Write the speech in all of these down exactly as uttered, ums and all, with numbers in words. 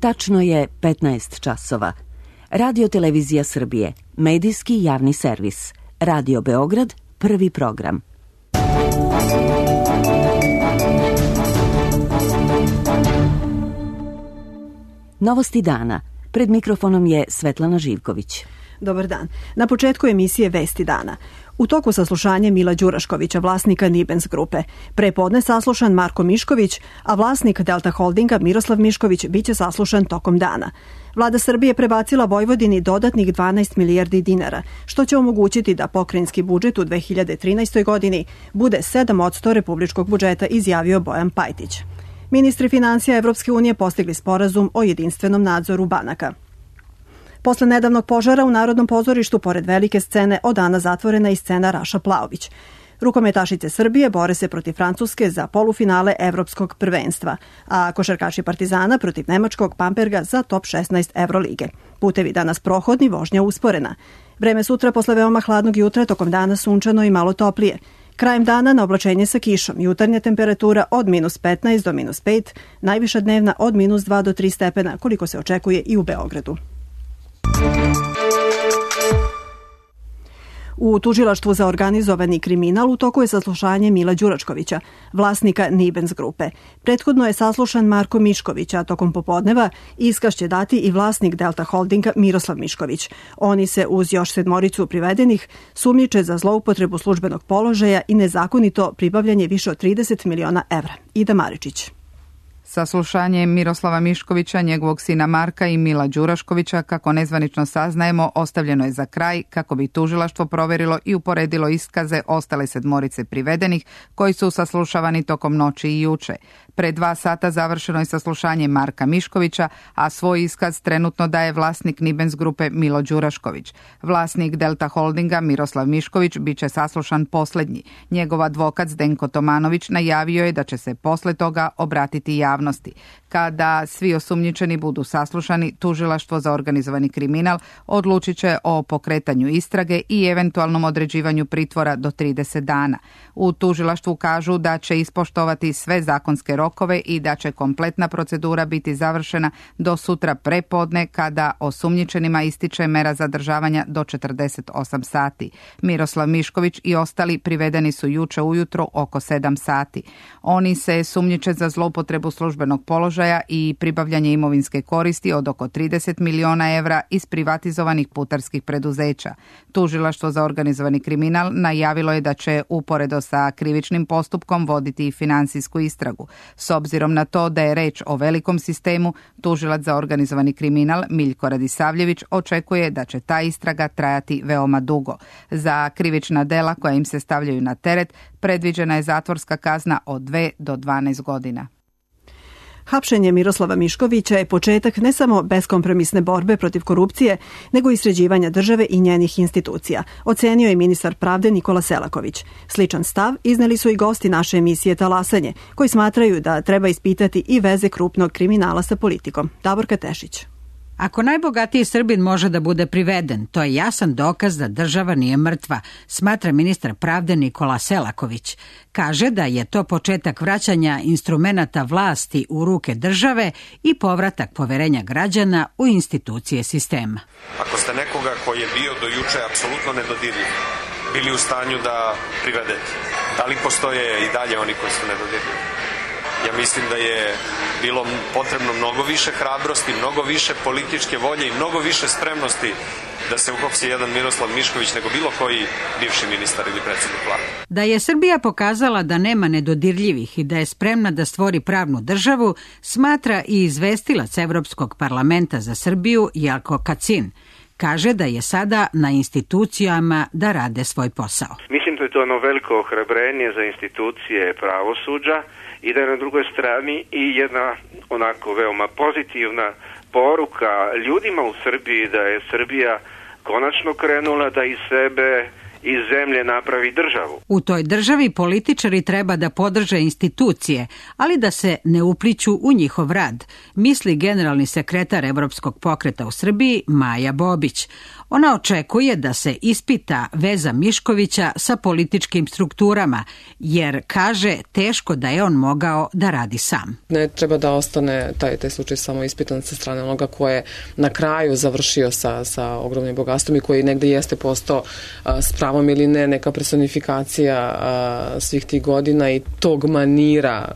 Tačno je petnaest časova. Radio Televizija Srbije, medijski javni servis. Radio Beograd, prvi program. Novosti dana. Pred mikrofonom je Svetlana Živković. Dobar dan. Na početku emisije Vesti dana. U toku saslušanja Mila Đuraškovića, vlasnika Nibens grupe. Prepodne saslušan Marko Mišković, a vlasnik Delta Holdinga Miroslav Mišković biće saslušan tokom dana. Vlada Srbije prebacila Vojvodini dodatnih dvanaest milijardi dinara, što će omogućiti da pokrajinski budžet u dve hiljade trinaestoj. godini bude sedam posto republičkog budžeta, izjavio Bojan Pajtić. Ministri finansija Evropske unije postigli sporazum o jedinstvenom nadzoru banaka. Posle nedavnog požara u Narodnom pozorištu, pored velike scene, od dana zatvorena i scena Raša Plaović. Rukometašice Srbije bore se protiv Francuske za polufinale evropskog prvenstva, a košarkaši Partizana protiv nemačkog Bamberga za top šesnaest Evrolige. Putevi danas prohodni, vožnja usporena. Vreme sutra posle veoma hladnog jutra, tokom dana sunčano i malo toplije. Krajem dana na oblačenje sa kišom, jutarnja temperatura od minus petnaest do minus pet, najviša dnevna od minus dva do tri stepena, koliko se očekuje i u Beogradu. U tužilaštvu za organizovani kriminal u toku je saslušanje Mila Đuraškovića, vlasnika Nibens grupe. Prethodno je saslušan Marko Mišković, a tokom popodneva iskaz će dati i vlasnik Delta Holdinga Miroslav Mišković. Oni se uz još sedmoricu privedenih sumnjiče za zloupotrebu službenog položaja i nezakonito pribavljanje više od trideset miliona evra. Ida Maričić. Saslušanje Miroslava Miškovića, njegovog sina Marka i Mila Đuraškovića, kako nezvanično saznajemo, ostavljeno je za kraj kako bi tužilaštvo proverilo i uporedilo iskaze ostale sedmorice privedenih koji su saslušavani tokom noći i juče. Pre dva sata završeno je saslušanje Marka Miškovića, a svoj iskaz trenutno daje vlasnik Nibens grupe Milo Đurašković. Vlasnik Delta Holdinga Miroslav Mišković biće saslušan poslednji. Njegov advokat Zdenko Tomanović najavio je da će se posle toga obratiti javnosti. Kada svi osumnjičeni budu saslušani, tužilaštvo za organizovani kriminal odlučit će o pokretanju istrage i eventualnom određivanju pritvora do trideset dana. U tužilaštvu kažu da će ispoštovati sve zakonske rokove i da će kompletna procedura biti završena do sutra prepodne, kada osumnjičenima ističe mera zadržavanja do četrdeset osam sati. Miroslav Mišković i ostali privedeni su juče ujutro oko sedam sati. Oni se sumnjiče za zloupotrebu službenog položaja i pribavljanje imovinske koristi od oko trideset miliona evra iz privatizovanih putarskih preduzeća. Tužilaštvo za organizovani kriminal najavilo je da će uporedo sa krivičnim postupkom voditi i finansijsku istragu. S obzirom na to da je reč o velikom sistemu, tužilac za organizovani kriminal Miljko Radisavljević očekuje da će ta istraga trajati veoma dugo. Za krivična dela koja im se stavljaju na teret predviđena je zatvorska kazna od dve do dvanaest godina. Hapšenje Miroslava Miškovića je početak ne samo beskompromisne borbe protiv korupcije, nego i sređivanja države i njenih institucija, ocenio je ministar pravde Nikola Selaković. Sličan stav izneli su i gosti naše emisije Talasanje, koji smatraju da treba ispitati i veze krupnog kriminala sa politikom. Davorka Tešić. Ako najbogatiji Srbin može da bude priveden, to je jasan dokaz da država nije mrtva, smatra ministar pravde Nikola Selaković. Kaže da je to početak vraćanja instrumenata vlasti u ruke države i povratak poverenja građana u institucije sistema. Ako ste nekoga koji je bio do juče apsolutno nedodirljiv, bili u stanju da privedete, da li postoje i dalje oni koji su nedodirljivi? Ja mislim da je bilo potrebno mnogo više hrabrosti, mnogo više političke volje i mnogo više spremnosti da se uhapsi jedan Miroslav Mišković nego bilo koji bivši ministar ili predsjednik vlade. Da je Srbija pokazala da nema nedodirljivih i da je spremna da stvori pravnu državu, smatra i izvestilac Evropskog parlamenta za Srbiju Jelko Kacin. Kaže da je sada na institucijama da rade svoj posao. Mislim da je to ono veliko ohrabrenje za institucije pravosuđa i da je na drugoj strani i jedna onako veoma pozitivna poruka ljudima u Srbiji da je Srbija konačno krenula da iz sebe iz zemlje napravi državu. U toj državi političari treba da podrže institucije, ali da se ne upliću u njihov rad, misli generalni sekretar Evropskog pokreta u Srbiji Maja Bobić. Ona očekuje da se ispita veza Miškovića sa političkim strukturama, jer kaže teško da je on mogao da radi sam. Ne treba da ostane taj, taj slučaj samo ispitan sa strane onoga ko je na kraju završio sa, sa ogromnim bogatstvom i koji negde jeste postao a, s pravom ili ne neka personifikacija a, svih tih godina i tog manira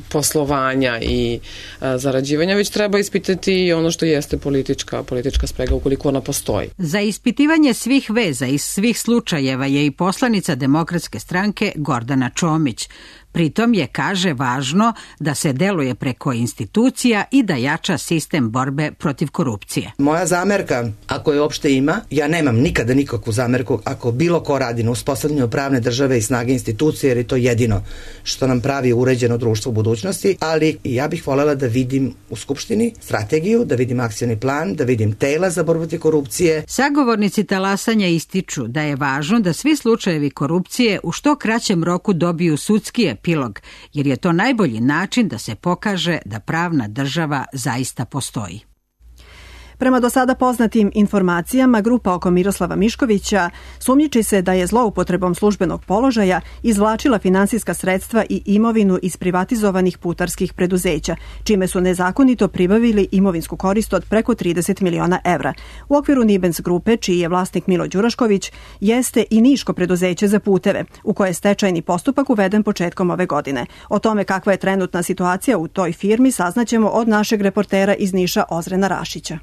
poslovanja i a, zarađivanja, već treba ispitati i ono što jeste politička, politička sprega ukoliko ona postoji. Za ispitivanje svih veza iz svih slučajeva je i poslanica Demokratske stranke Gordana Čomić. Pritom je, kaže, važno da se deluje preko institucija i da jača sistem borbe protiv korupcije. Moja zamerka, ako je uopšte ima, ja nemam nikada nikakvu zamerku ako bilo ko radi na uspostavljanju pravne države i snage institucije, jer je to jedino što nam pravi uređeno društvo u budućnosti, ali ja bih voljela da vidim u Skupštini strategiju, da vidim akcioni plan, da vidim tela za borbu protiv korupcije. Sagovornici talasanja ističu da je važno da svi slučajevi korupcije u što kraćem roku dobiju sudski epilog, jer je to najbolji način da se pokaže da pravna država zaista postoji. Prema do sada poznatim informacijama, grupa oko Miroslava Miškovića sumnjiči se da je zloupotrebom službenog položaja izvlačila finansijska sredstva i imovinu iz privatizovanih putarskih preduzeća, čime su nezakonito pribavili imovinsku korist od preko trideset miliona evra. U okviru Nibens grupe, čiji je vlasnik Milo Đurašković, jeste i Niško preduzeće za puteve, u koje je stečajni postupak uveden početkom ove godine. O tome kakva je trenutna situacija u toj firmi saznaćemo od našeg reportera iz Niša Ozrena Rašića.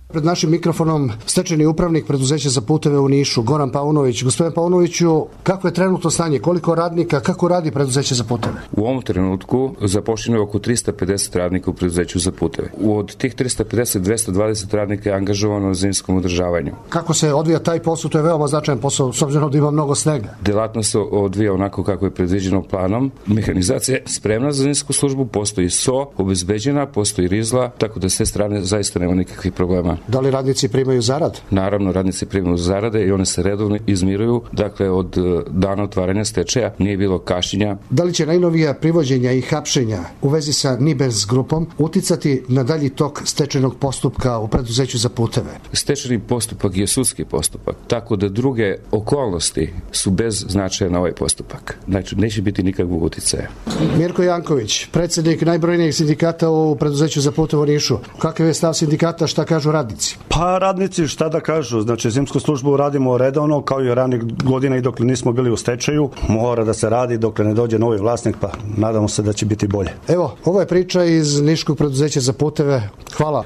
Pred našim mikrofonom stečajni upravnik preduzeća za puteve u Nišu, Goran Paunović. Gospodine Paunoviću, kako je trenutno stanje? Koliko radnika, kako radi preduzeće za puteve? U ovom trenutku zaposleno je oko trista pedeset radnika u preduzeću za puteve. Od tih trista pedeset, dvesta dvadeset radnika je angažovano na zimskom održavanju. Kako se odvija taj posao? To je veoma značajan posao, s obzirom da ima mnogo snega. Delatnost se odvija onako kako je predviđeno planom. Mehanizacija je spremna za zimsku službu, postoji S O, obezbeđena, postoji rizla, tako da s te strane zaista nema nikakvih problema. Da li radnici primaju zarad? Naravno, radnici primaju zarade i one se redovno izmiruju. Dakle, od dana otvaranja stečaja nije bilo kašnjenja. Da li će najnovija privođenja i hapšenja u vezi sa Nibens grupom uticati na dalji tok stečajnog postupka u preduzeću za puteve? Stečajni postupak je sudski postupak, tako da druge okolnosti su bez značaja na ovaj postupak. Znači, neće biti nikakvog uticaja. Mirko Janković, predsjednik najbrojnijeg sindikata u preduzeću za puteve u Nišu. Kakav je stav sindikata, šta kažu radnici? Pa radnici šta da kažu, znači zimsku službu radimo redovno kao i ranih godina i dok nismo bili u stečaju, mora da se radi dok ne dođe novi vlasnik, pa nadamo se da će biti bolje. Evo, ovo je priča iz Niškog preduzeća za puteve. Hvala.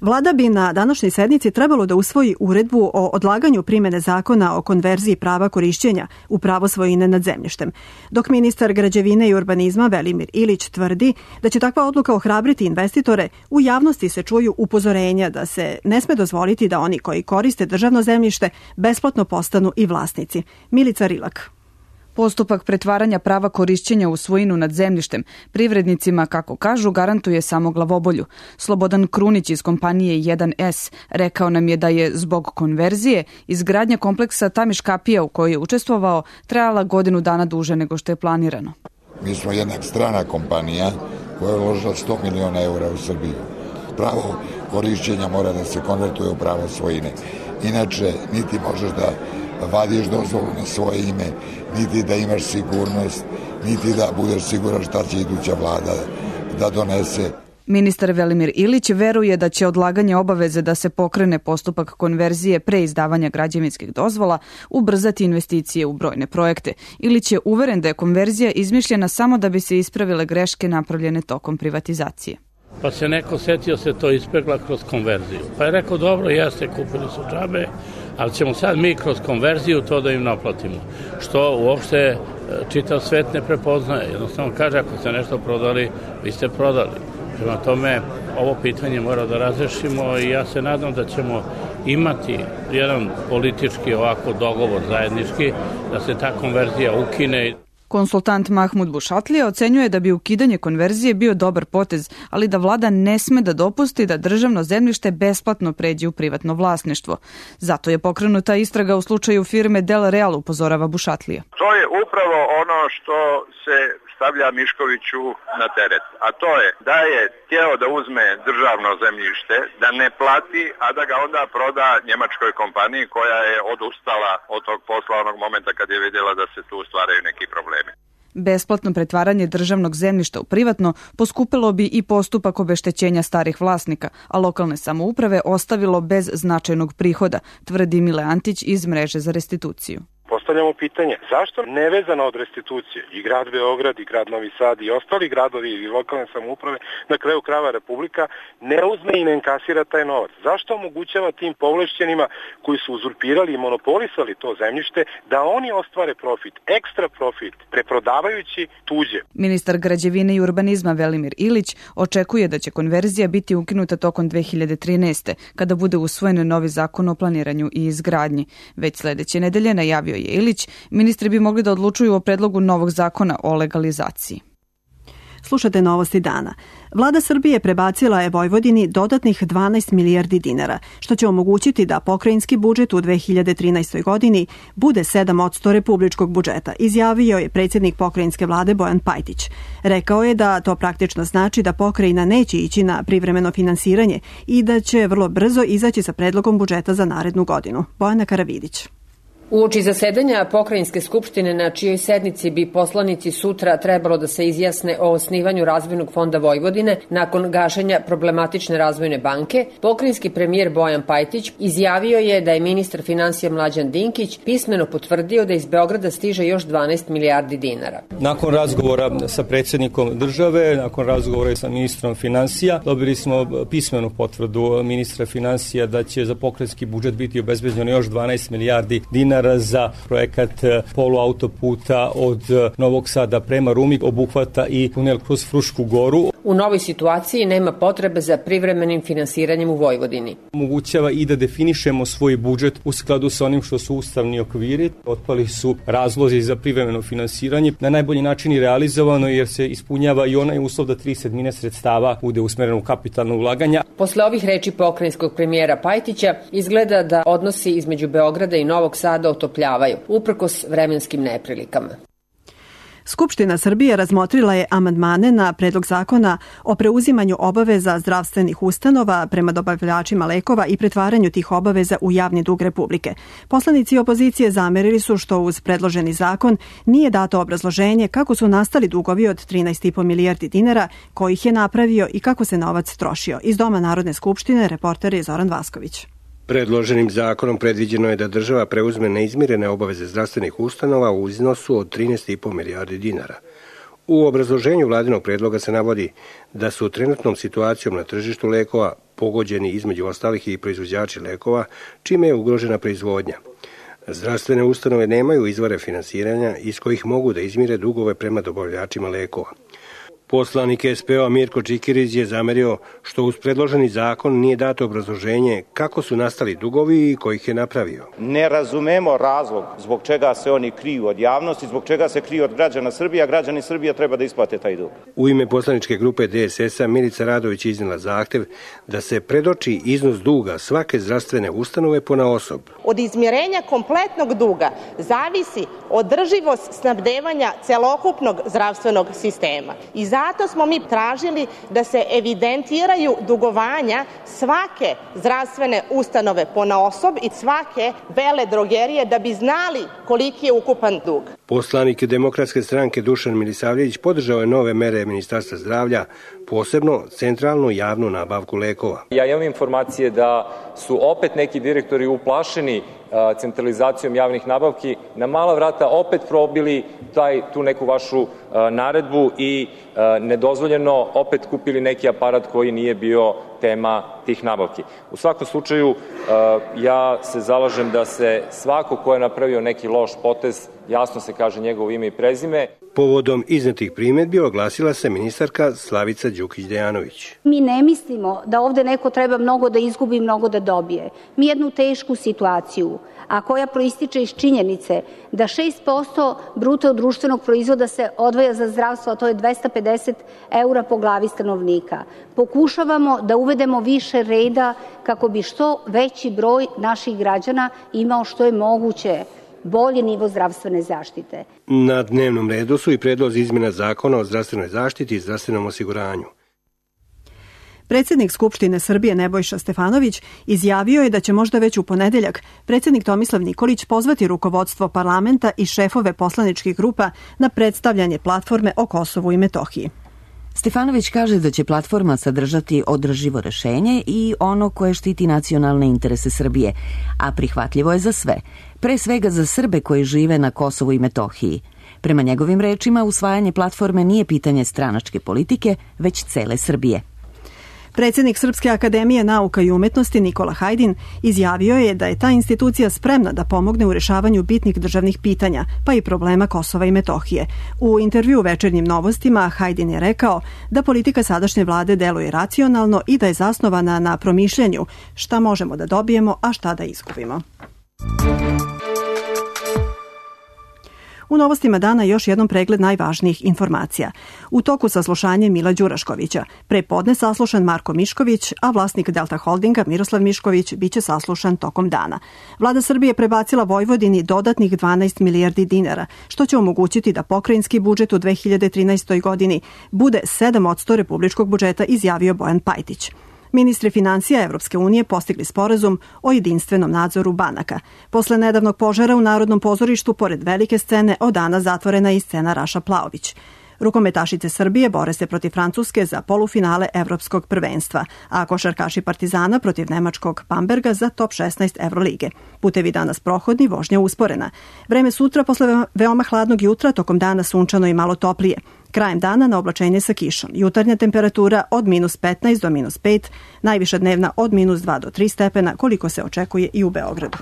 Vlada bi na današnjoj sednici trebalo da usvoji uredbu o odlaganju primene zakona o konverziji prava korišćenja u pravo svojine nad zemljištem, dok ministar građevine i urbanizma Velimir Ilić tvrdi da će takva odluka ohrabriti investitore. U javnosti se čuju upozorenja da se ne sme dozvoliti da oni koji koriste državno zemljište besplatno postanu i vlasnici. Milica Rilak. Postupak pretvaranja prava korišćenja u svojinu nad zemljištem privrednicima, kako kažu, garantuje samo glavobolju. Slobodan Krunić iz kompanije jedan S rekao nam je da je zbog konverzije izgradnja kompleksa Tamiš kapija u kojoj je učestvovao trajala godinu dana duže nego što je planirano. Mi smo jedna strana kompanija koja je uložila sto miliona eura u Srbiju. Pravo korišćenja mora da se konvertuje u pravo svojine. Inače, niti možeš da vadiš dozvolu na svoje ime, niti da imaš sigurnost, niti da budeš siguran šta će iduća vlada da donese. Ministar Velimir Ilić veruje da će odlaganje obaveze da se pokrene postupak konverzije pre izdavanja građevinskih dozvola ubrzati investicije u brojne projekte. Ilić je uveren da je konverzija izmišljena samo da bi se ispravile greške napravljene tokom privatizacije. Pa se neko setio se to ispegla kroz konverziju. Pa je rekao, dobro, jeste, kupili su džabe, ali ćemo sad mi kroz konverziju to da im naplatimo. Što uopšte čitav svet ne prepoznaje. Jednostavno kaže, ako ste nešto prodali, vi ste prodali. Prema tome, ovo pitanje mora da razrešimo i ja se nadam da ćemo imati jedan politički ovako dogovor zajednički, da se ta konverzija ukine. Konsultant Mahmud Bušatlija ocenjuje da bi ukidanje konverzije bio dobar potez, ali da vlada ne sme da dopusti da državno zemljište besplatno pređe u privatno vlasništvo. Zato je pokrenuta istraga u slučaju firme Del Real, upozorava Bušatlija. To je upravo ono što se stavlja Miškoviću na teret, a to je da je htjeo da uzme državno zemljište, da ne plati, a da ga onda proda njemačkoj kompaniji koja je odustala od tog posla onog momenta kad je vidjela da se tu stvaraju neki problemi. Besplatno pretvaranje državnog zemljišta u privatno poskupilo bi i postupak obeštećenja starih vlasnika, a lokalne samouprave ostavilo bez značajnog prihoda, tvrdi Mile Antić iz Mreže za restituciju. Postavljamo pitanje, zašto nevezano od restitucije i grad Beograd i grad Novi Sad i ostali gradovi i lokalne samouprave, na kraju krajeva Republika, ne uzme i ne inkasira taj novac? Zašto omogućava tim povlašćenima koji su uzurpirali i monopolisali to zemljište da oni ostvare profit, ekstra profit, preprodavajući tuđe? Ministar građevine i urbanizma Velimir Ilić očekuje da će konverzija biti ukinuta tokom dve hiljade trinaeste. kada bude usvojen novi zakon o planiranju i izgradnji. Već sledeće nedelje najavio je Ilić, ministri bi mogli da odlučuju o predlogu novog zakona o legalizaciji. Slušate novosti dana. Vlada Srbije prebacila je Vojvodini dodatnih dvanaest milijardi dinara, što će omogućiti da pokrajinski budžet u dve hiljade trinaestoj. godini bude sedam posto republičkog budžeta, izjavio je predsjednik pokrajinske vlade Bojan Pajtić. Rekao je da to praktično znači da pokrajina neće ići na privremeno finansiranje i da će vrlo brzo izaći sa predlogom budžeta za narednu godinu. Bojana Karavidić. Uoči zasedanja Pokrajinske skupštine, na čijoj sednici bi poslanici sutra trebalo da se izjasne o osnivanju Razvojnog fonda Vojvodine nakon gašenja problematične razvojne banke, pokrajinski premijer Bojan Pajtić izjavio je da je ministar finansija Mlađan Dinkić pismeno potvrdio da iz Beograda stiže još dvanaest milijardi dinara. Nakon razgovora sa predsjednikom države, nakon razgovora sa ministrom finansija, dobili smo pismenu potvrdu ministra finansija da će za pokrajinski budžet biti obezbeđeno još dvanaest milijardi dinara za projekat poluautoputa od Novog Sada prema Rumi, obuhvata i tunel kroz Frušku goru. U novoj situaciji nema potrebe za privremenim finansiranjem u Vojvodini. Omogućava i da definišemo svoj budžet u skladu sa onim što su ustavni okviri. Otpali su razlozi za privremeno finansiranje. Na najbolji način i realizovano jer se ispunjava i onaj uslov da tri sedmine sredstava bude usmereno u kapitalno ulaganja. Posle ovih reči pokrajinskog premijera Pajtića izgleda da odnosi između Beograda i Novog Sada otopljavaju, uprkos vremenskim neprilikama. Skupština Srbije razmotrila je amandmane na predlog zakona o preuzimanju obaveza zdravstvenih ustanova prema dobavljačima lekova i pretvaranju tih obaveza u javni dug Republike. Poslanici opozicije zamerili su što uz predloženi zakon nije dato obrazloženje kako su nastali dugovi od trinaest i po milijardi dinara, kojih je napravio i kako se novac trošio. Iz Doma Narodne skupštine reporter je Zoran Vasković. Predloženim zakonom predviđeno je da država preuzme neizmirene obaveze zdravstvenih ustanova u iznosu od trinaest i po milijardi dinara. U obrazloženju vladinog predloga se navodi da su trenutnom situacijom na tržištu lekova pogođeni između ostalih i proizvođači lekova, čime je ugrožena proizvodnja. Zdravstvene ustanove nemaju izvore finansiranja iz kojih mogu da izmire dugove prema dobavljačima lekova. Poslanik S P O Mirko Čikirić je zamerio što uz predloženi zakon nije dato obrazloženje kako su nastali dugovi i kojih je napravio. Ne razumemo razlog zbog čega se oni kriju od javnosti, zbog čega se kriju od građana Srbije, a građani Srbije treba da isplate taj dug. U ime poslaničke grupe D S S-a Milica Radović iznijela zahtev da se predoči iznos duga svake zdravstvene ustanove ponaosob. Od izmjerenja kompletnog duga zavisi održivost snabdevanja celokupnog zdravstvenog sistema. I zato smo mi tražili da se evidentiraju dugovanja svake zdravstvene ustanove ponaosob i svake veledrogerije da bi znali koliki je ukupan dug. Poslanik Demokratske stranke Dušan Milisavljević podržao je nove mere Ministarstva zdravlja, posebno centralnu javnu nabavku lekova. Ja imam informacije da su opet neki direktori uplašeni centralizacijom javnih nabavki, na mala vrata opet probili taj, tu neku vašu naredbu i nedozvoljeno opet kupili neki aparat koji nije bio tema tih nabavki. U svakom slučaju, ja se zalažem da se svako ko je napravio neki loš potez, jasno se kaže njegovo ime i prezime. Povodom iznetih primedbi oglasila se ministarka Slavica Đukić-Dejanović. Mi ne mislimo da ovde neko treba mnogo da izgubi, mnogo da dobije. Mi jednu tešku situaciju, a koja proističe iz činjenice da šest posto bruto društvenog proizvoda se odvaja za zdravstvo, a to je dvesta pedeset eura po glavi stanovnika. Pokušavamo da uvedemo više reda kako bi što veći broj naših građana imao što je moguće bolji nivo zdravstvene zaštite. Na dnevnom redu su i predlozi izmjena zakona o zdravstvenoj zaštiti i zdravstvenom osiguranju. Predsjednik Skupštine Srbije Nebojša Stefanović izjavio je da će možda već u ponedeljak predsjednik Tomislav Nikolić pozvati rukovodstvo parlamenta i šefove poslaničkih grupa na predstavljanje platforme o Kosovu i Metohiji. Stefanović kaže da će platforma sadržati održivo rešenje i ono koje štiti nacionalne interese Srbije, a prihvatljivo je za sve, pre svega za Srbe koji žive na Kosovu i Metohiji. Prema njegovim rečima, usvajanje platforme nije pitanje stranačke politike, već cele Srbije. Predsjednik Srpske akademije nauka i umetnosti Nikola Hajdin izjavio je da je ta institucija spremna da pomogne u rešavanju bitnih državnih pitanja, pa i problema Kosova i Metohije. U intervju u Večernjim novostima Hajdin je rekao da politika sadašnje vlade deluje racionalno i da je zasnovana na promišljanju šta možemo da dobijemo, a šta da izgubimo. U novostima dana još jednom pregled najvažnijih informacija. U toku saslušanja Mila Đuraškovića, pre podne saslušan Marko Mišković, a vlasnik Delta Holdinga Miroslav Mišković biće saslušan tokom dana. Vlada Srbije prebacila Vojvodini dodatnih dvanaest milijardi dinara, što će omogućiti da pokrajinski budžet u dve hiljade trinaestoj. godini bude sedam posto republičkog budžeta, izjavio Bojan Pajtić. Ministri financija Evropske unije postigli sporazum o jedinstvenom nadzoru banaka. Posle nedavnog požara u Narodnom pozorištu, pored velike scene, od dana zatvorena i scena Raša Plaović. Rukometašice Srbije bore se protiv Francuske za polufinale Evropskog prvenstva, a košarkaši Partizana protiv nemačkog Bamberga za top šesnaest Evrolige. Putevi danas prohodni, vožnja usporena. Vreme sutra posle veoma hladnog jutra, tokom dana sunčano i malo toplije. Krajem dana na oblačenje sa kišom. Jutarnja temperatura od minus petnaest do minus pet, najviša dnevna od minus dva do tri stepena, koliko se očekuje i u Beogradu.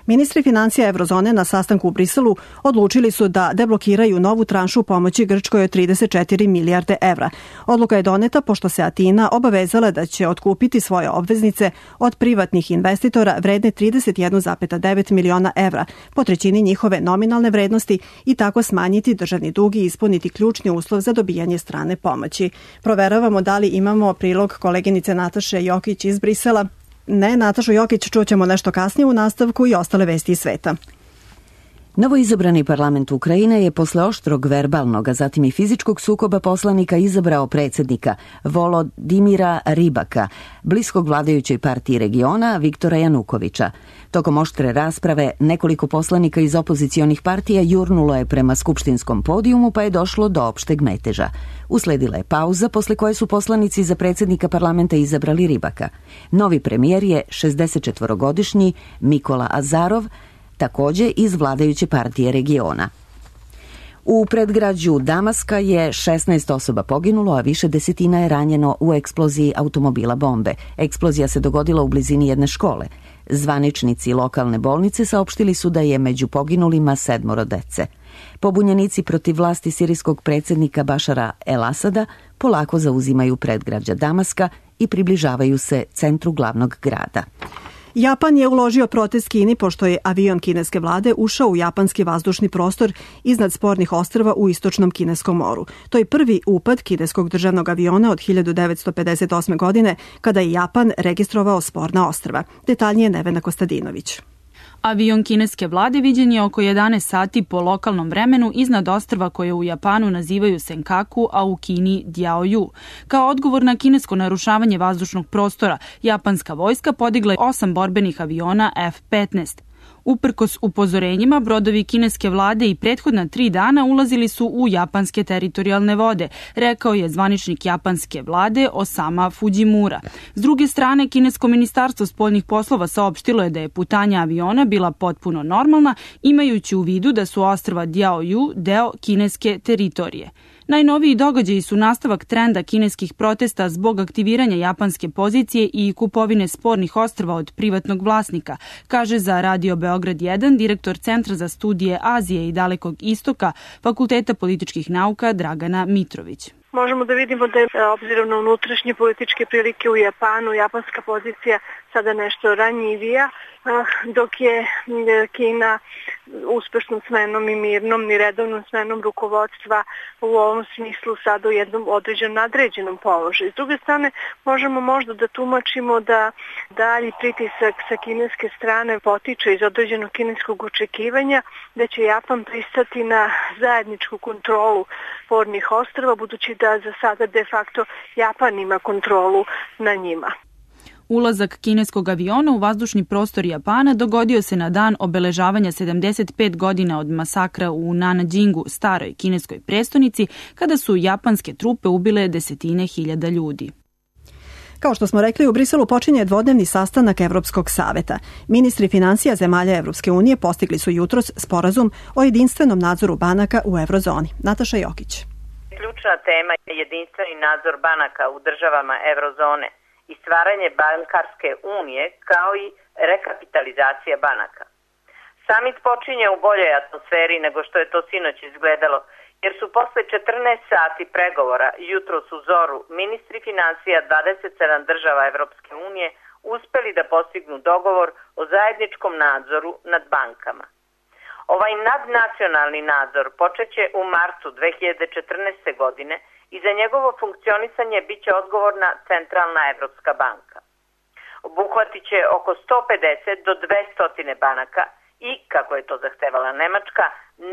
Ministri financija Evrozone na sastanku u Briselu odlučili su da deblokiraju novu tranšu pomoći Grčkoj od trideset četiri milijarde evra. Odluka je doneta pošto se Atina obavezala da će otkupiti svoje obveznice od privatnih investitora vredne trideset jedan zarez devet miliona evra, po trećini njihove nominalne vrednosti, i tako smanjiti državni dug i ispuniti ključni uslov za dobijanje strane pomoći. Proveravamo da li imamo prilog koleginice Nataše Jokić iz Brisela. Ne, Natašu Jokić čućemo nešto kasnije u nastavku i ostale vesti iz sveta. Novoizabrani parlament Ukrajine je posle oštrog verbalnog, a zatim i fizičkog sukoba poslanika izabrao predsjednika Volodimira Rybaka, bliskog vladajućoj partiji regiona Viktora Janukovića. Tokom oštre rasprave nekoliko poslanika iz opozicionih partija jurnulo je prema skupštinskom podijumu, pa je došlo do opšteg meteža. Usledila je pauza, posle koje su poslanici za predsjednika parlamenta izabrali Rybaka. Novi premijer je šezdesetčetvorogodišnji Mikola Azarov, takođe iz vladajuće partije regiona. U predgrađu Damaska je šesnaest osoba poginulo, a više desetina je ranjeno u eksploziji automobila bombe. Eksplozija se dogodila u blizini jedne škole. Zvaničnici lokalne bolnice saopštili su da je među poginulima sedmoro dece. Pobunjenici protiv vlasti sirijskog predsjednika Bašara el-Asada polako zauzimaju predgrađa Damaska i približavaju se centru glavnog grada. Japan je uložio protest Kini pošto je avion kineske vlade ušao u japanski vazdušni prostor iznad spornih ostrva u istočnom kineskom moru. To je prvi upad kineskog državnog aviona od hiljadu devetsto pedeset osme. godine, kada je Japan registrovao sporna ostrva. Detaljnije Nevena Kostadinović. Avion kineske vlade viđen je oko jedanaest sati po lokalnom vremenu iznad ostrva koje u Japanu nazivaju Senkaku, a u Kini Diaoyu. Kao odgovor na kinesko narušavanje vazdušnog prostora, japanska vojska podigla je osam borbenih aviona F petnaest. Uprkos upozorenjima, brodovi kineske vlade i prethodna tri dana ulazili su u japanske teritorijalne vode, rekao je zvaničnik japanske vlade Osama Fujimura. S druge strane, kinesko ministarstvo spoljnih poslova saopštilo je da je putanja aviona bila potpuno normalna, imajući u vidu da su ostrva Diaoyu deo kineske teritorije. Najnoviji događaji su nastavak trenda kineskih protesta zbog aktiviranja japanske pozicije i kupovine spornih ostrva od privatnog vlasnika, kaže za Radio Beograd jedan direktor Centra za studije Azije i Dalekog istoka Fakulteta političkih nauka Dragana Mitrović. Možemo da vidimo da je, obzirom na unutrašnje političke prilike u Japanu, japanska pozicija sada nešto ranjivija, dok je Kina uspešnom smenom i mirnom i redovnom smenom rukovodstva u ovom smislu sada u jednom određenom nadređenom položaju. S druge strane, možemo možda da tumačimo da dalji pritisak sa kineske strane potiče iz određenog kineskog očekivanja da će Japan pristati na zajedničku kontrolu spornih ostrva, budući da za sada de facto Japan ima kontrolu na njima. Ulazak kineskog aviona u vazdušni prostor Japana dogodio se na dan obeležavanja sedamdeset pet godina od masakra u Nanjingu, staroj kineskoj prestonici, kada su japanske trupe ubile desetine hiljada ljudi. Kao što smo rekli, u Briselu počinje dvodnevni sastanak Evropskog saveta. Ministri finansija zemalja Evropske unije postigli su jutros sporazum o jedinstvenom nadzoru banaka u eurozoni. Nataša Jokić. Ključna tema je jedinstveni nadzor banaka u državama eurozone i stvaranje bankarske unije kao i rekapitalizacija banaka. Samit počinje u boljoj atmosferi nego što je to sinoć izgledalo, jer su posle četrnaest sati pregovora jutros u zoru ministri finansija dvadeset sedam država Evropske unije uspeli da postignu dogovor o zajedničkom nadzoru nad bankama. Ovaj nadnacionalni nadzor počeće u martu dve hiljade četrnaeste. godine i za njegovo funkcionisanje biće odgovorna Centralna Evropska banka. Obuhvatit će oko sto pedeset do dvesta banaka i, kako je to zahtevala Nemačka,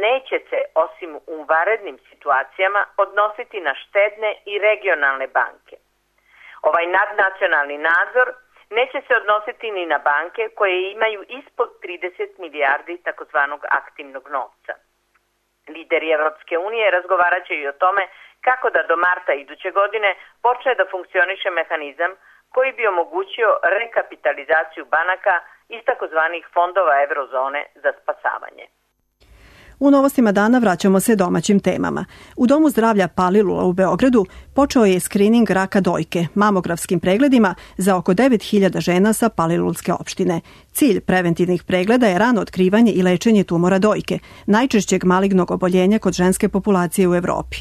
neće se, osim u vanrednim situacijama, odnositi na štedne i regionalne banke. Ovaj nadnacionalni nadzor neće se odnositi ni na banke koje imaju ispod trideset milijardi takozvanog aktivnog novca. Lideri Evropske unije razgovarat će i o tome kako da do marta iduće godine počne da funkcioniše mehanizam koji bi omogućio rekapitalizaciju banaka iz takozvanih fondova eurozone za spasavanje. U novostima dana vraćamo se domaćim temama. U Domu zdravlja Palilula u Beogradu počeo je skrining raka dojke mamografskim pregledima za oko devet hiljada žena sa Palilulske opštine. Cilj preventivnih pregleda je rano otkrivanje i lečenje tumora dojke, najčešćeg malignog oboljenja kod ženske populacije u Evropi.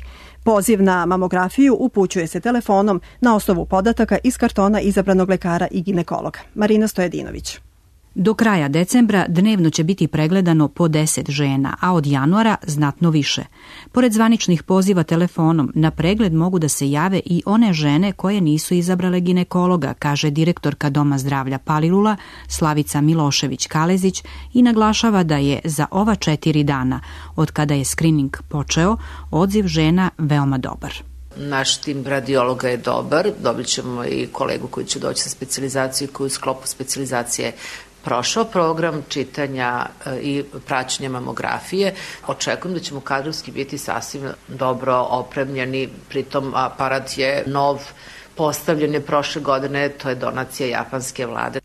Poziv na mamografiju upućuje se telefonom na osnovu podataka iz kartona izabranog lekara i ginekologa. Marina Stojedinović. Do kraja decembra dnevno će biti pregledano po deset žena, a od januara znatno više. Pored zvaničnih poziva telefonom, na pregled mogu da se jave i one žene koje nisu izabrale ginekologa, kaže direktorka Doma zdravlja Palilula Slavica Milošević-Kalezić i naglašava da je za ova četiri dana, od kada je skrining počeo, odziv žena veoma dobar. Naš tim radiologa je dobar, dobit ćemo i kolegu koji će doći sa specijalizacije koji u sklopu specijalizacije prošao program čitanja i praćenja mamografije. Očekujem da ćemo kadrovski biti sasvim dobro opremljeni, pritom aparat je nov, postavljen je prošle godine, to je donacija japanske vlade.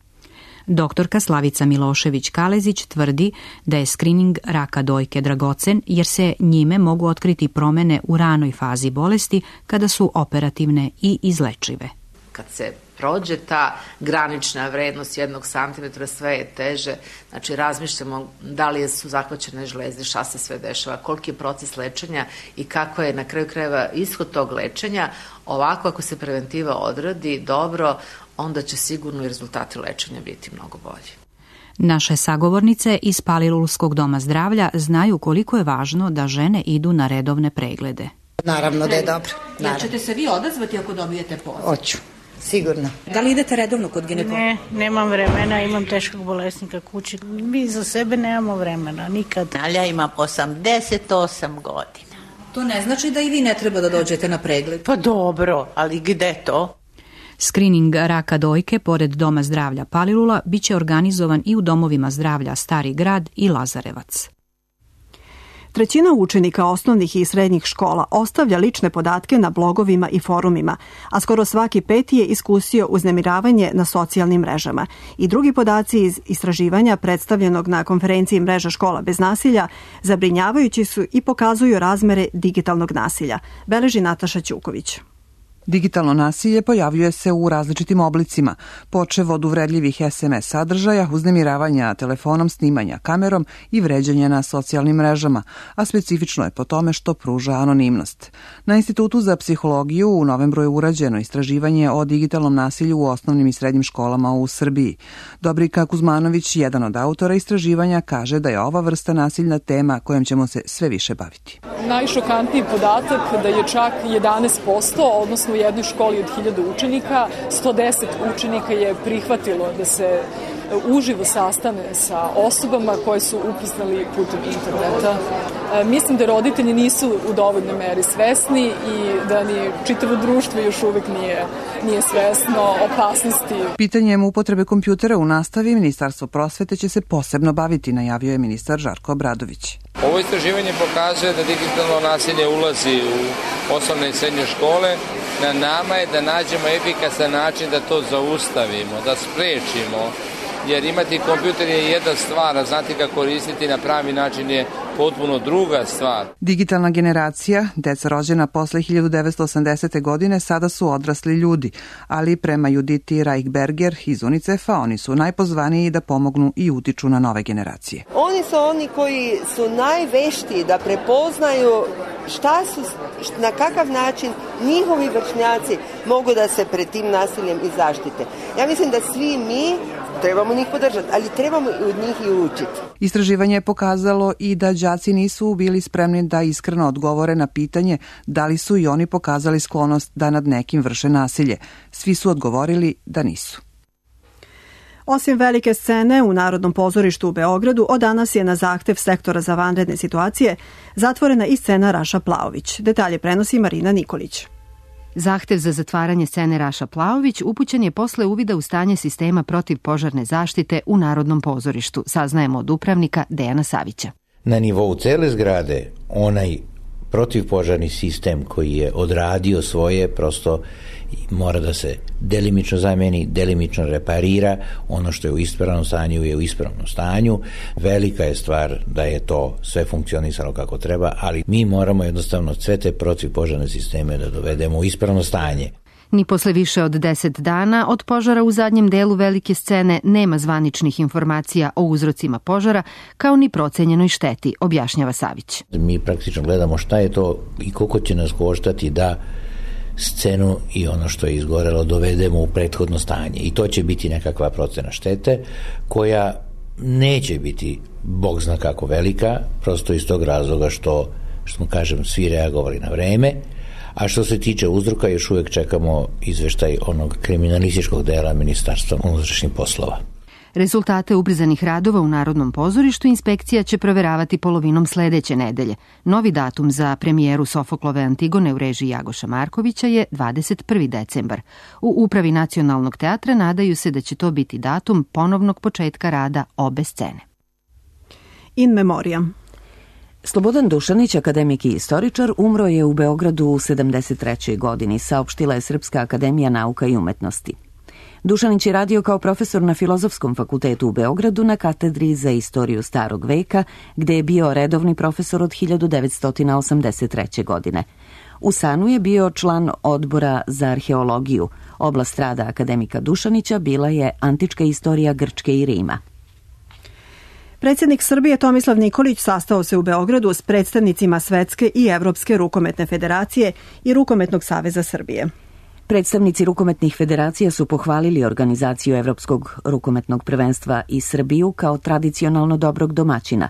Doktorka Slavica Milošević-Kalezić tvrdi da je skrining raka dojke dragocen jer se njime mogu otkriti promene u ranoj fazi bolesti kada su operativne i izlečive. Kad se prođe ta granična vrednost jednog santimetra, sve je teže. Znači, razmišljamo da li su zahvaćene žlezde, šta se sve dešava, koliki je proces lečenja i kako je na kraju krajeva ishod tog lečenja. Ovako, ako se preventiva odradi dobro, onda će sigurno i rezultati lečenja biti mnogo bolji. Naše sagovornice iz Palilulskog doma zdravlja znaju koliko je važno da žene idu na redovne preglede. Naravno da je dobro. Jel ćete se vi odazvati ako dobijete poziv? Hoću. Sigurno. Da li idete redovno kod ginekologa? Ne, nemam vremena, imam teškog bolesnika kući. Mi za sebe nemamo vremena, nikad. Ali ja imam osamdeset osam godina. To ne znači da i vi ne treba da dođete na pregled? Pa dobro, ali gde to? Skrining raka dojke pored Doma zdravlja Palilula biće organizovan i u domovima zdravlja Stari grad i Lazarevac. Trećina učenika osnovnih i srednjih škola ostavlja lične podatke na blogovima i forumima, a skoro svaki peti je iskusio uznemiravanje na socijalnim mrežama. I drugi podaci iz istraživanja predstavljenog na konferenciji Mreža škola bez nasilja zabrinjavajući su i pokazuju razmere digitalnog nasilja, beleži Nataša Ćuković. Digitalno nasilje pojavljuje se u različitim oblicima, počev od uvredljivih es em es sadržaja, uznemiravanja telefonom, snimanja kamerom i vređanja na socijalnim mrežama, a specifično je po tome što pruža anonimnost. Na Institutu za psihologiju u novembru je urađeno istraživanje o digitalnom nasilju u osnovnim i srednjim školama u Srbiji. Dobrika Kuzmanović, jedan od autora istraživanja, kaže da je ova vrsta nasilna tema kojom ćemo se sve više baviti. Najšokantniji podatak da je čak jedanaest posto, odnosno u jednoj školi od hiljadu učenika, sto deset učenika je prihvatilo da se uživo sastane sa osobama koje su upoznali putem interneta. E, mislim da roditelji nisu u dovoljnoj meri svesni i da ni čitavo društvo još uvek nije, nije svesno opasnosti. Pitanjem upotrebe kompjutera u nastavi Ministarstvo prosvete će se posebno baviti, najavio je ministar Žarko Obradović. Ovo istraživanje pokazuje da digitalno nasilje ulazi u osnovne i srednje škole. Na nama je da nađemo efikasan način da to zaustavimo, da sprečimo, jer imati kompjuter je jedna stvar, a znati ga koristiti na pravi način je potpuno druga stvar. Digitalna generacija, deca rođena posle hiljadu devetsto osamdesete. godine, sada su odrasli ljudi, ali prema Juditi Reichberger iz UNICEF-a oni su najpozvaniji da pomognu i utiču na nove generacije. Oni su oni koji su najveštiji da prepoznaju šta su, na kakav način njihovi vršnjaci mogu da se pred tim nasiljem i zaštite. Ja mislim da svi mi trebamo njih podržati, ali trebamo i od njih i učiti. Istraživanje je pokazalo i da đaci nisu bili spremni da iskreno odgovore na pitanje da li su i oni pokazali sklonost da nad nekim vrše nasilje. Svi su odgovorili da nisu. Osim velike scene u Narodnom pozorištu u Beogradu, od danas je na zahtev sektora za vanredne situacije zatvorena i scena Raša Plaović. Detalje prenosi Marina Nikolić. Zahtev za zatvaranje scene Raša Plaović upućen je posle uvida u stanje sistema protivpožarne zaštite u Narodnom pozorištu, saznajemo od upravnika Dejana Savića. Na nivou cele zgrade onaj protivpožarni sistem koji je odradio svoje prosto mora da se delimično zameni, delimično reparira, ono što je u ispravnom stanju je u ispravnom stanju. Velika je stvar da je to sve funkcionisalo kako treba, ali mi moramo jednostavno sve te protivpožarne sisteme da dovedemo u ispravno stanje. Ni posle više od deset dana od požara u zadnjem delu velike scene nema zvaničnih informacija o uzrocima požara, kao ni procenjenoj šteti, objašnjava Savić. Mi praktično gledamo šta je to i koliko će nas koštati da scenu i ono što je izgorelo dovedemo u prethodno stanje. I to će biti nekakva procena štete koja neće biti bog zna kako velika, prosto iz tog razloga što, što smo kažem, svi reagovali na vreme. A što se tiče uzroka, još uvek čekamo izveštaj onog kriminalističkog dela Ministarstva unutrašnjih poslova. Rezultate ubrzanih radova u Narodnom pozorištu inspekcija će proveravati polovinom sledeće nedelje. Novi datum za premijeru Sofoklove Antigone u režiji Jagoša Markovića je dvadeset prvi decembar. U upravi Nacionalnog teatra nadaju se da će to biti datum ponovnog početka rada obe scene. In memoriam. Slobodan Dušanić, akademik i istoričar, umro je u Beogradu u sedamdeset trećoj. godini, saopštila je Srpska akademija nauka i umetnosti. Dušanić je radio kao profesor na Filozofskom fakultetu u Beogradu na katedri za istoriju starog veka, gde je bio redovni profesor od hiljadu devetsto osamdeset treće. godine. U Sanu je bio član odbora za arheologiju. Oblast rada akademika Dušanića bila je antička istorija Grčke i Rima. Predsjednik Srbije Tomislav Nikolić sastao se u Beogradu s predstavnicima Svetske i Evropske rukometne federacije i Rukometnog saveza Srbije. Predstavnici rukometnih federacija su pohvalili organizaciju Evropskog rukometnog prvenstva i Srbiju kao tradicionalno dobrog domaćina.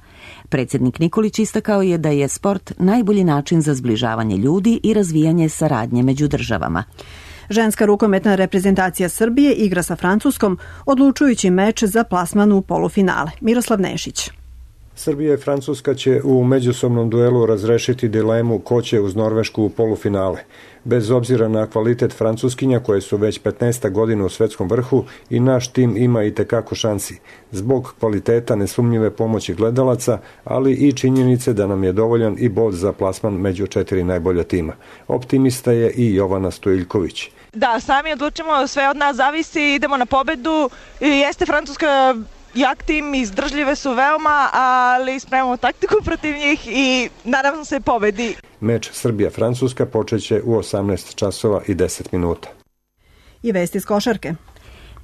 Predsjednik Nikolić istakao je da je sport najbolji način za zbližavanje ljudi i razvijanje saradnje među državama. Ženska rukometna reprezentacija Srbije igra sa Francuskom odlučujući meč za plasman u polufinale. Miroslav Nešić. Srbija i Francuska će u međusobnom duelu razrešiti dilemu ko će uz Norvešku u polufinale. Bez obzira na kvalitet Francuskinja koje su već petnaesta godina u svetskom vrhu i naš tim ima i tekako šansi. Zbog kvaliteta nesumnjive pomoći gledalaca, ali i činjenice da nam je dovoljan i bod za plasman među četiri najbolja tima. Optimista je i Jovana Stojiljković. Da, sami odlučimo, sve od nas zavisi, idemo na pobedu. Jeste Francuska jak tim, izdržljive su veoma, ali spremamo taktiku protiv njih i nadam se pobedi. Meč Srbija-Francuska počeće u osamnaest časova i deset minuta. I vesti iz košarke.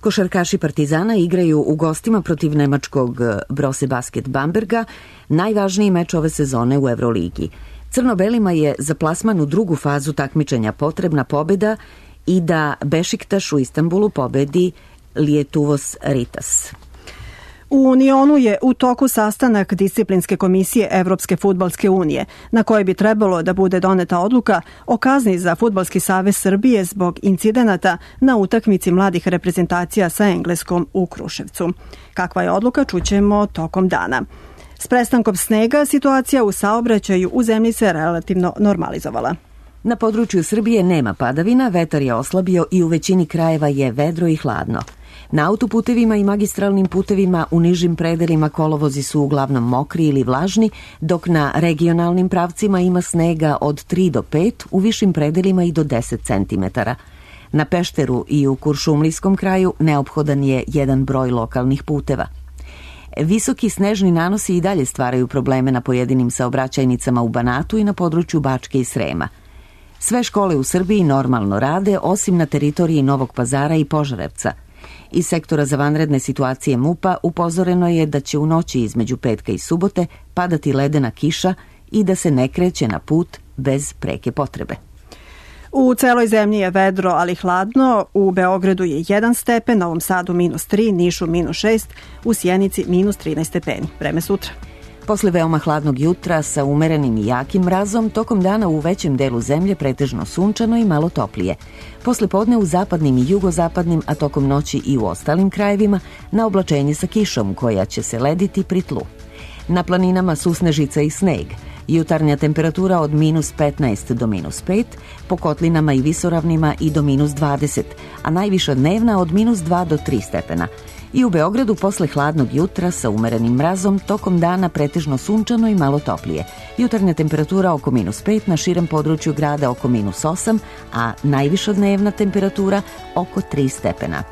Košarkaši Partizana igraju u gostima protiv nemačkog Brose Basket Bamberga, najvažniji meč ove sezone u Evroligi. Crno-belima je za plasman u drugu fazu takmičenja potrebna pobeda i da Bešiktaš u Istanbulu pobedi Lietuvos Ritas. U Unionu je u toku sastanak disciplinske komisije Evropske fudbalske unije, na kojoj bi trebalo da bude doneta odluka o kazni za Fudbalski savez Srbije zbog incidenata na utakmici mladih reprezentacija sa Engleskom u Kruševcu. Kakva je odluka, čućemo tokom dana. S prestankom snega situacija u saobraćaju u zemlji se relativno normalizovala. Na području Srbije nema padavina, vetar je oslabio i u većini krajeva je vedro i hladno. Na autoputevima i magistralnim putevima u nižim predelima kolovozi su uglavnom mokri ili vlažni, dok na regionalnim pravcima ima snega od tri do pet, u višim predelima i do deset centimetara. Na Pešteru i u Kuršumlijskom kraju neophodan je jedan broj lokalnih puteva. Visoki snežni nanosi i dalje stvaraju probleme na pojedinim saobraćajnicama u Banatu i na području Bačke i Srema. Sve škole u Srbiji normalno rade, osim na teritoriji Novog Pazara i Požarevca. Iz sektora za vanredne situacije MUP-a upozoreno je da će u noći između petka i subote padati ledena kiša i da se ne kreće na put bez preke potrebe. U celoj zemlji je vedro, ali hladno. U Beogradu je jedan stepen, Novom Sadu minus tri, Nišu minus šest, u Sjenici minus trinaest stepeni. Vreme sutra. Posle veoma hladnog jutra sa umerenim i jakim mrazom, tokom dana u većem delu zemlje pretežno sunčano i malo toplije. Posle podne u zapadnim i jugozapadnim, a tokom noći i u ostalim krajevima, na oblačenje sa kišom koja će se lediti pri tlu. Na planinama susnežica i sneg. Jutarnja temperatura od minus petnaest do minus pet, po kotlinama i visoravnima i do minus dvadeset, a najviša dnevna od minus dva do tri stepena. I u Beogradu posle hladnog jutra sa umerenim mrazom tokom dana pretežno sunčano i malo toplije. Jutarnja temperatura oko minus pet, na širem području grada oko minus osam, a najviša dnevna temperatura oko tri stepena.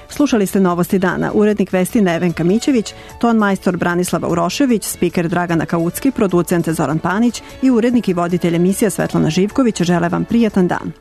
Slušali ste Novosti dana. Urednik vesti Nevenka Mićević, ton majstor Branislava Urošević, spiker Dragana Kaucki, producent Zoran Panić i urednik i voditelj emisija Svetlana Živković žele vam prijatan dan.